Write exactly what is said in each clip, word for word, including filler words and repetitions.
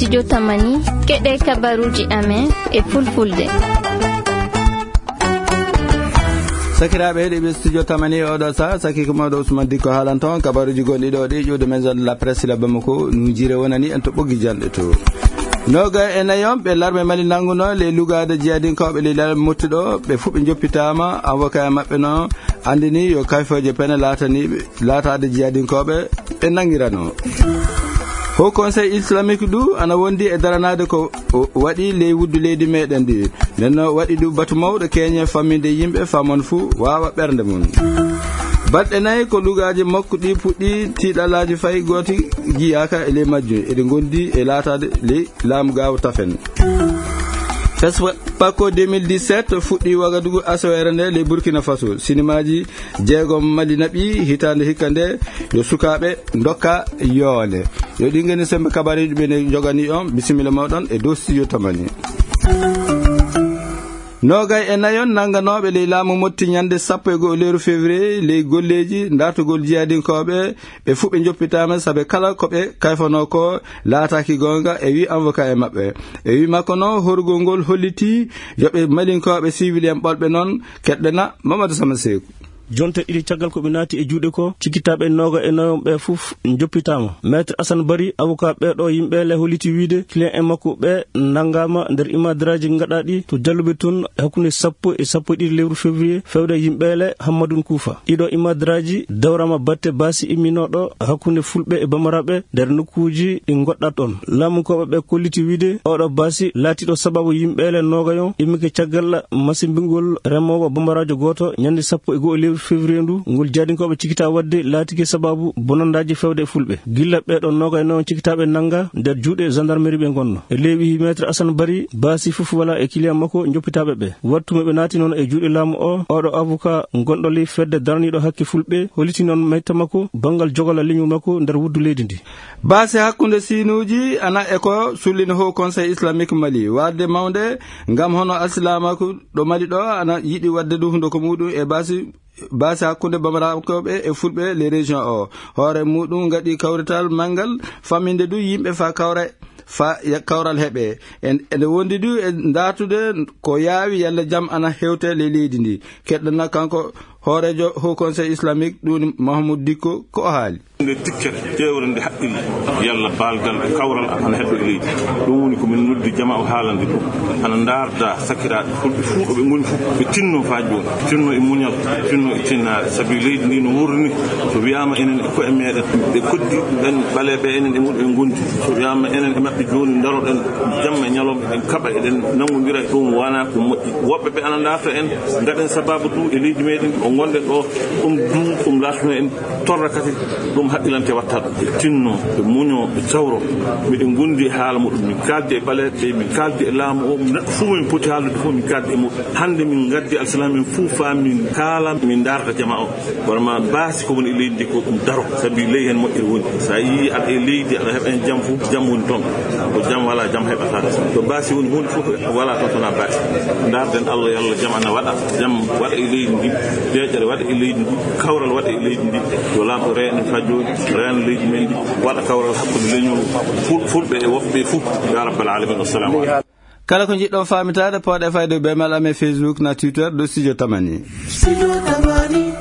Studio Tamani, keɗe kabaruji amen e fulfulde. Sakiraaɓe heɗiiɓe Studio Tamani, oɗo sa, saki ko mawɗo Ousmane Dikko haalanto on kabaruji gonɗi ɗo ɗi ƴuwde maison de la presse la Bamako, no jiire wonani en to ɓoggi janɗe to. Noga e nayon ɓe larme Mali nanguno le lugaade jiyadinkooɓe le lal mottuɗo, ɓe fuɓe joppitaama, avocat e maɓɓe no andini yo kayfooje pene laataniɓe laataade jiyadinkooɓe ɓe nanngirano. Haut Conseil Islamique du ana wondi e daranaade ko o waɗi ley wuddu leydi meɗen ndi. Nden no waɗi du batu mawɗo keñe famminde yimɓe famon fuu waawa ɓernde mum. Balɗe nayi ko lugaaji makko ɗi puɗɗi, tiiɗalaaji fay gooti jiyaaka e ley majjum. Eɗi ngondi e laataade ley laamu gaawo tafen. Fes Pako deux mille dix-sept fuɗɗi Wagadugu asawere nde ley Burkina Faso. Sinimaaji jeegom Mali naɓi hitaande hikka nde yo sukaaɓe ndokka yoole. Yo ɗi ngeni sembe kabareeji ɓe ne njogani on. Bisimilla mawɗon e dow Studio Tamani. Noogay e nayon nannganooɓe ley laamu motti ñande sappo e go'o lewru février ley golleeji dartugol jiyadinkooɓe, ɓe fuu ɓe njoppitaama, sabe kala ko ɓe kayfanoo ko laataaki goonga, e wi avocat e maɓɓe. E wi makko noon, horugol ngol hollitii yo ɓe Malinkooɓe siwiliyen ɓolɓe noon keɗɗena Mamadou Sama Seeku. Jonte ɗiɗi caggal ko ɓe naati e juuɗe ko, cikkitaaɓe nooga e nayon ɓe fof njoppitaama. Maître Assane Bari, avocat ɓee ɗoo yimɓe le, holliti wiide client en makko ɓe nanngaama nder imadraaji gaɗaaɗi to Jalluɓe toon e hakkunde sappo e sappo e ɗiɗi lewru février, fewde yimɓe le Hammadun Kuufa. Ɗiɗo imadraaji dawraama batte baasi imminooɗo hakkunde Fulɓe e Bamaraaɓe nder nokkuuji ɗi ngoɗɗat ɗoon. Laamunkooɓe ɓe kolliti wiide oɗo baasi laatiiɗo sababu yimɓe le noogayon immike caggal masimbingol remoowo Bamaraajo gooto ñande sappo e go'o lewru février ndu, ngol jaadinkooɓe cikkitaa waɗde laatike sababu bonandaaji fewde e Fulɓe. Gilla ɓee ɗoo noogay noon cikkitaaɓe nannga nder juuɗe gendarmerie ɓe ngonno. E ley wihi Maître Assane Bari, baasi fof wala e client makko njoppitaaɓe ɓe. Wattu mo ɓe naati noon e juuɗe laamu o, oɗo avocat gonɗo ley fedde daraniiɗo hakke Fulɓe, holliti noon mayta makko banngal jogola leñol makko nder wuddu leydi ndi. Baasi hakkunde siinuuji ana e ko sullina Haut Conseil Islamique Mali, waɗde mawnde ngam hono alsilaamaaku ɗo Mali ɗo ana yiɗi waɗde du hundo ko muɗum e baasi, baasi hakkunde Bamarankooɓe e Fulɓe les régions o. Hoore muɗum ngaɗi kawrital manngal famminde du yimɓe fa kawra, fa ya-, kawral heɓe. En, ene wondi du e ndaartude ko yaawi yalla jam ana hewte ley leydi ndi. Keɗɗana kanko hooreejo Haut Conseil Islamique ɗum Mahmoud Dikko ko o haali. Nde tikkere ƴeewre nde haqqille, yalla baalgal e kawral ana heɓɓe e leydi. Ɗum woni ko min noddi jama o haalande ɗum. Ana ndaarda sakiraaɓe fulɓe fuu ɗo ɓe ngoni fof, ɓe tinno faa jooni. Tinno e muñal, tinno e tinnaare. Sabi leydi ndi no wurni, so wiyaama enen e koye meɗen, ɓe koddi ɓen ɓaleeɓe enen e muɗum en ngondi. So wiyaama enen e maɓɓe jooni ndaroɗen jamma e ñalawma, eɗen kaɓa, eɗen nanngondira, ɗum wonaa ko moƴƴi. Woɓɓe ɓe ana ndaarta en, ngaɗen sababu du e leydi meɗen o ngonɗen ɗo, ɗum du, ɗum laatano en torra kadi, ɗum haqqilante watta ɗum. Ɓe tinno, ɓe muño, ɓe cawro. Miɗen ngondi e haala muɗum, min kaaldi e ɓaleeɓe, min kaaldi e laamu o, neɗɗo fof min poti haaldude fof min kaaldi e muɗum. Hannde min ngaddi alsilaam en fof faa min kaala, min ndaarta jama o. Vraiment, baasi ko woni e leydi ndi ko ɗum daro, sabi ley heen moƴƴere woni. So a yii aɗa e leydi, aɗa heɓa heen jam fof, jam woni toon. Ko jam wala, jam heɓata. To baasi woni huunde fof wala toon, so wonaa baasi. Ndaarden Allah, yo Allah jam ana waɗa, jam waɗa e leydi ndi, deeƴere waɗa e leydi ndi, kawral waɗa e leydi ndi. Yo laamɗo reeno faa jooni, reeno leydi men ndi, waɗa kawral hakkunde leñol ful-, fulɓe e woɓɓe fof. Ya rabbal alamin. Wassalamu aleykum. Kala ko njiɗɗon faamitaade, pooɗe fayde bee mail amen Facebook na Twitter dow Studio Tamani. Studio Tamani.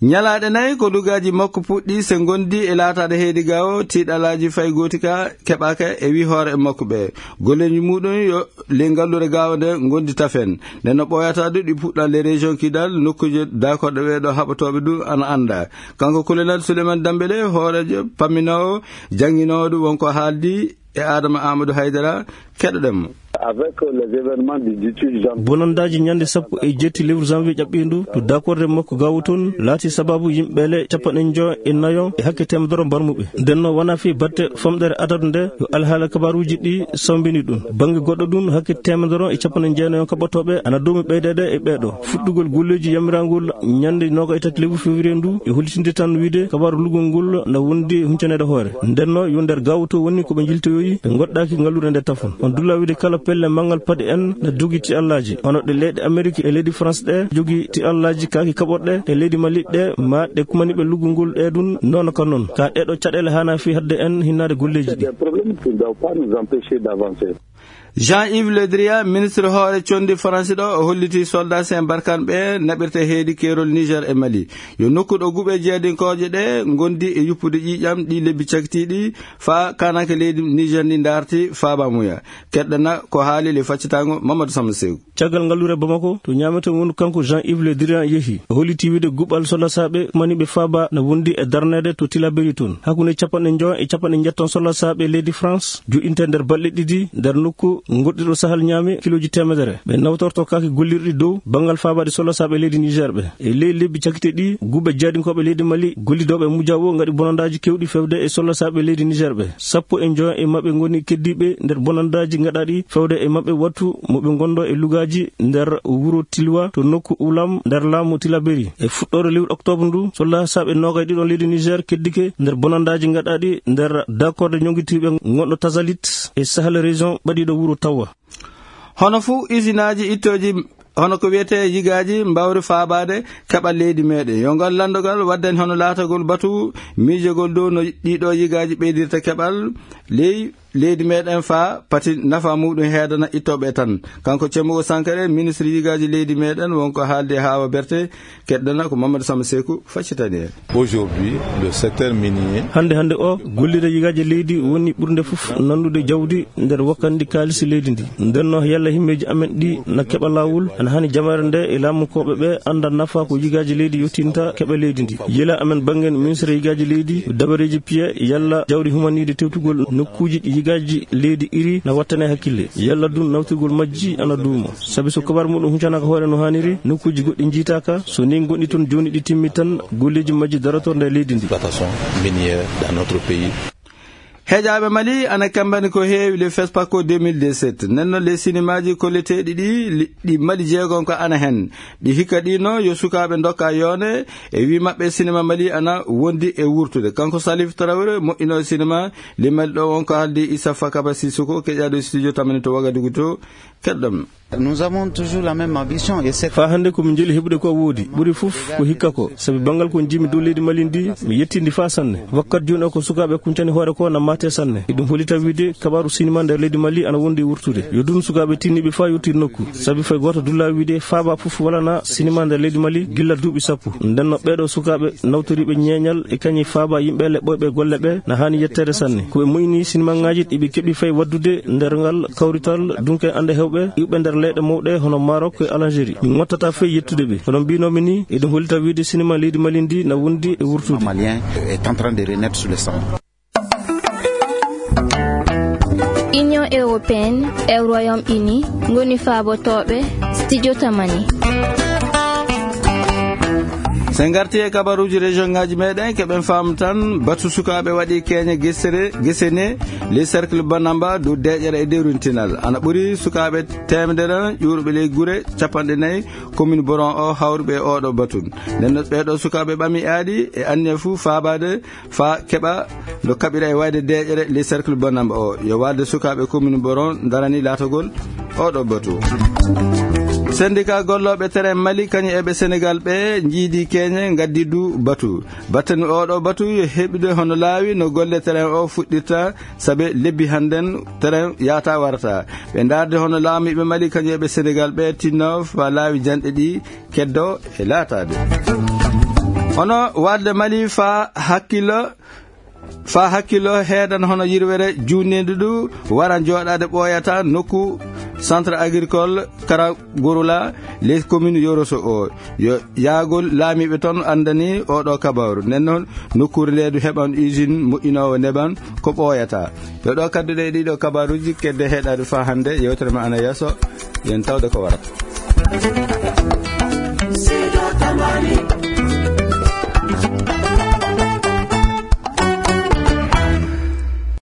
Ñalaaɗe nayi ko lugaaji makko puɗɗi, se ngondi e laataade heedi gawo, tiiɗalaaji fay gooti ka keɓaaka e wi hoore e makko ɓe. Golleeji muɗum yo le ngalluure gawo nde ngondi tafen. Nde no ɓooyata du ɗi puɗɗa le région Kidal, nokkuuje daakorɗe ɓee ɗo haɓotooɓe du ana annda. Kanko Colonel Souleymane Dambélé, hooreejo pamminoowo, jannginoowo du wonko haaldi e Adama Amadou Haydara, keɗoɗen mo. Avec les événements du dix-huit janvier. Bonandaaji ñande sappo e jeetti lewru janvier ƴaɓɓiindu, to dakorde makko gawo toon, laati sababu yimɓe le capanɗe njo e nayo e hakke teemedere mbarmuɓe. Nden noon wonaa fii batte famɗere adadu nde, yo alhaala kabaruuji ɗi sawmbini ɗum. Bannge goɗɗo ɗum, hakke teemedere e capanɗe jeenayo kaɓotooɓe ana doomi ɓeydeede e ɓee ɗoo. Fuɗɗugol golleeji yamirangol ñande noogaye tati lewru février ndu, e hollitinde tan wiide kabaaru lugol ngol na wondi huncaneede hoore. Nden noon yo nder gawo to woni ko ɓe njiltoyoyi, ɓe ngoɗɗaaki ngalluure nde tafon. On dulla wiide kala pelle manngal paɗe en na jogii tiallaaji. Hono ɗe leyɗe Amerik e leydi France ɗe jogii tiallaaji kaaki kaɓorɗe e leydi Mali ɗe, ma ɗe kumani ɓe luggungol ɗe ɗum noon ka noon. Ka ɗeɗo caɗeele hana fi hadde en hinnaade golleeji ɗi. Des problèmes qui ne doivent pas nous empêcher d'avancer. Jean-Yves Le Drian, ministre hoore condi France ɗo, o holliti soldat sen barkan ɓe naɓirta heedi keerol Niger e Mali. Yo nokku ɗo guɓe jeedinkooje ɗe ngondi e yuppude ƴiiƴam ɗi lebbi cakitiiɗi faa kananke leydi Niger ndi daarti faabamuya. Keɗɗana ko haali le faccitango Mamadou Samba Sew. Caggal ngallure Bamako, to ñaamete wonu kanko Jean-Yves Le Drian yehi. O holliti wiide guɓal soldat saaɓe mani ɓe faaba na wondi e darneede to Tilaberi toon. Hakkunde capanɗe njoya e capanɗe njettan soldat saaɓe leydi France, joɗinte nder balɗe ɗiɗi nder nokku goɗɗiɗo Sahel ñaami kilooji teemedere. Ɓe nawtorto kaaki gollirɗi dow banngal faabaade soldat saaɓe leydi Niger ɓe. E ley lebbi cakite ɗi, guɓe jaadinkooɓe leydi Mali, gollidooɓe e mujjawo ngaɗi bonandaaji kewɗi fewde e soldat saaɓe leydi Niger ɓe. Sappo e njoya e maɓɓe ngoni keddiiɓe nder bonandaaji ngaɗaaɗi fewde e maɓɓe wattu mo ɓe ngondo e lugaaji nder wuro Tilwa to nokku Ulam nder laamu Tilaberi. E fuɗɗoore lewru oktoobre ndu, soldat saaɓe noogay ɗiɗon leydi Niger keddike nder bonandaaji ngaɗaaɗi nder dakorde ñongitiiɓe ngonɗo Tazalit e Sahel région ɓadiiɗo wuro Tawa. Hono fuu usinaaji ittooji, hono ko wiyetee yigaaji mbawri faabaade keɓal leydi meeɗen. Yo ngal lanndogal waddani hono laatagol batu miijogol dow no ɗiɗo yigaaji ɓeydirta keɓal ley leydi meeɗen faa pati nafa muɗum heedana ittooɓe tan. Kanko Cemmugo Sankare, ministre yigaaji leydi meeɗen, wonko haaldi e Haawa Berte, keɗɗana ko Mamadou Samba Seku faccitani en. Aujourd'hui, le secteur minier. Hannde, hannde o, gollirde yigaaji leydi woni ɓurnde fof nandude jawdi nder wakkandi kaalisi leydi ndi. Ndenno yalla himmeeji amen ɗi na keɓa laawol, ana hani jamaare nde e laamukooɓe ɓe annda nafa ko yigaaji leydi yottinta keɓa leydi ndi. Yela amen banngen ministre yigaaji leydi, dabareeji piye, yalla jawdi humaniiɗi tewtugol nokkuuji ɗi yigaaji leydi iri na wattane hakkille. Yalla dun nawtirgol majji ana duuma. Sabi so kabar muɗum huncanaaka hoore no haaniri, nokkuuji goɗɗi njiitaaka, so ni ngonɗi toon jooni ɗi timmi tan, golleeji majji daroto nder leydi ndi. Exploitation minière dans notre pays. Heƴaaɓe Mali ana kambani ko heewi le FESPACO deux mille dix-sept. Nden noon le sinimaaji kolleteeɗi ɗi, li-, ɗi Mali jeegon ko ana hen. Ɗi hikka ɗino yo sukaaɓe ndokka yoone e wi maɓɓe sinima Mali ana wondi e wurtude. Kanko Salif Traoré, moƴƴinooɗo sinima le Mali ɗo, wonko haaldi Issa Fakaba Sissoko, keƴaaɗo studio tamani to Ouagadougou to. Keɗɗam. Nous avons toujours la même ambition et c'est Faa hannde ko min njeli heɓude ko woodi. Ɓuri fof ko hikka ko. Sabi banngal ko njimi dow leydi Mali ndi, mi yettindi faa sanne. Wakkat jooni o ko sukaaɓe kuncani hoore ko na maate sanne. Eɗum holita wiide kabaaru sinima nder leydi Mali ana wondi e wurtude. Yo dun sukaaɓe tinniɓe faa yottir nokku. Sabi fay gooto dulla wiide faaba fof walana sinima nder leydi Mali gilla duuɓi sappo. Ndenno ɓeeɗo sukaaɓe nawtoriiɓe ñeeñal e kañi faaba yimɓe leɓɓoyɓe golle ɓe na haani yetteede sanne. Ko ɓe moyni sinimaaŋaaji ɗi ɓe keɓi fay waddude nder ngal kawrital dunke ande hewɓe iwɓe nder leyɗe mawɗe hono Maroc e Algérie. Mi ŋottata fay yettude ɓe. Kono mbinoomi ni, eɗum hollita wiide sinima leydi Mali ndi na wondi e wurtude. Malien est en train de renaître sous le sang. Union européenne e Royaume-Uni ngoni faabotooɓe studio Tamani. So en ngarti e kabaruuji région ngaaji meɗen, keɓen faamu tan batu sukaaɓe waɗi keeña gesere, gesene, les cercles Banamba, dow deeƴere e dewrintinal. Ana ɓuri sukaaɓe teemedere ƴuuruɓe ley gure capanɗe nayi, commune Boron o, hawruɓe e oɗo batu. Nden no ɓeeɗo sukaaɓe ɓami aadi e anniya fuu faabaade faa keɓa no kaɓira e wayde deeƴere les cercles Banamba o. Yo waalde sukaaɓe commune Boron darani laatagol oɗo batu. Syndicat gollooɓe terrain Mali, kañum e ɓe Sénégal ɓe, njiidi keeñe, ngaddi du batu. Battani oɗo batu yo heɓude hono laawi no golle terrain o fuɗɗirta, sabe lebbi hannden terrain yaata warata. Ɓe ndaarde hono laamiiɓe Mali, kañum e ɓe Sénégal ɓe, tinno faa laawi janɗe ɗi keddo e laataade. Hono waɗde Mali faa hakkilo, faa hakkilo heedan hono yirwere juutneendu ndu waran jooɗaade ɓooyata nokku centre agricole Karagurula, les communes Yoroso o. Yo yaagol laamiiɓe toon anndani oɗo kabaaru. Nden noon, nokkuure nde du heɓan usine moƴƴinoowo neban ko ɓooyata. Yo ɗo kadduɗe e ɗiɗo kabaaruuji kedde heɗaade faa hannde. Yewtere ma ana yeeso. Yen tawde ko warata.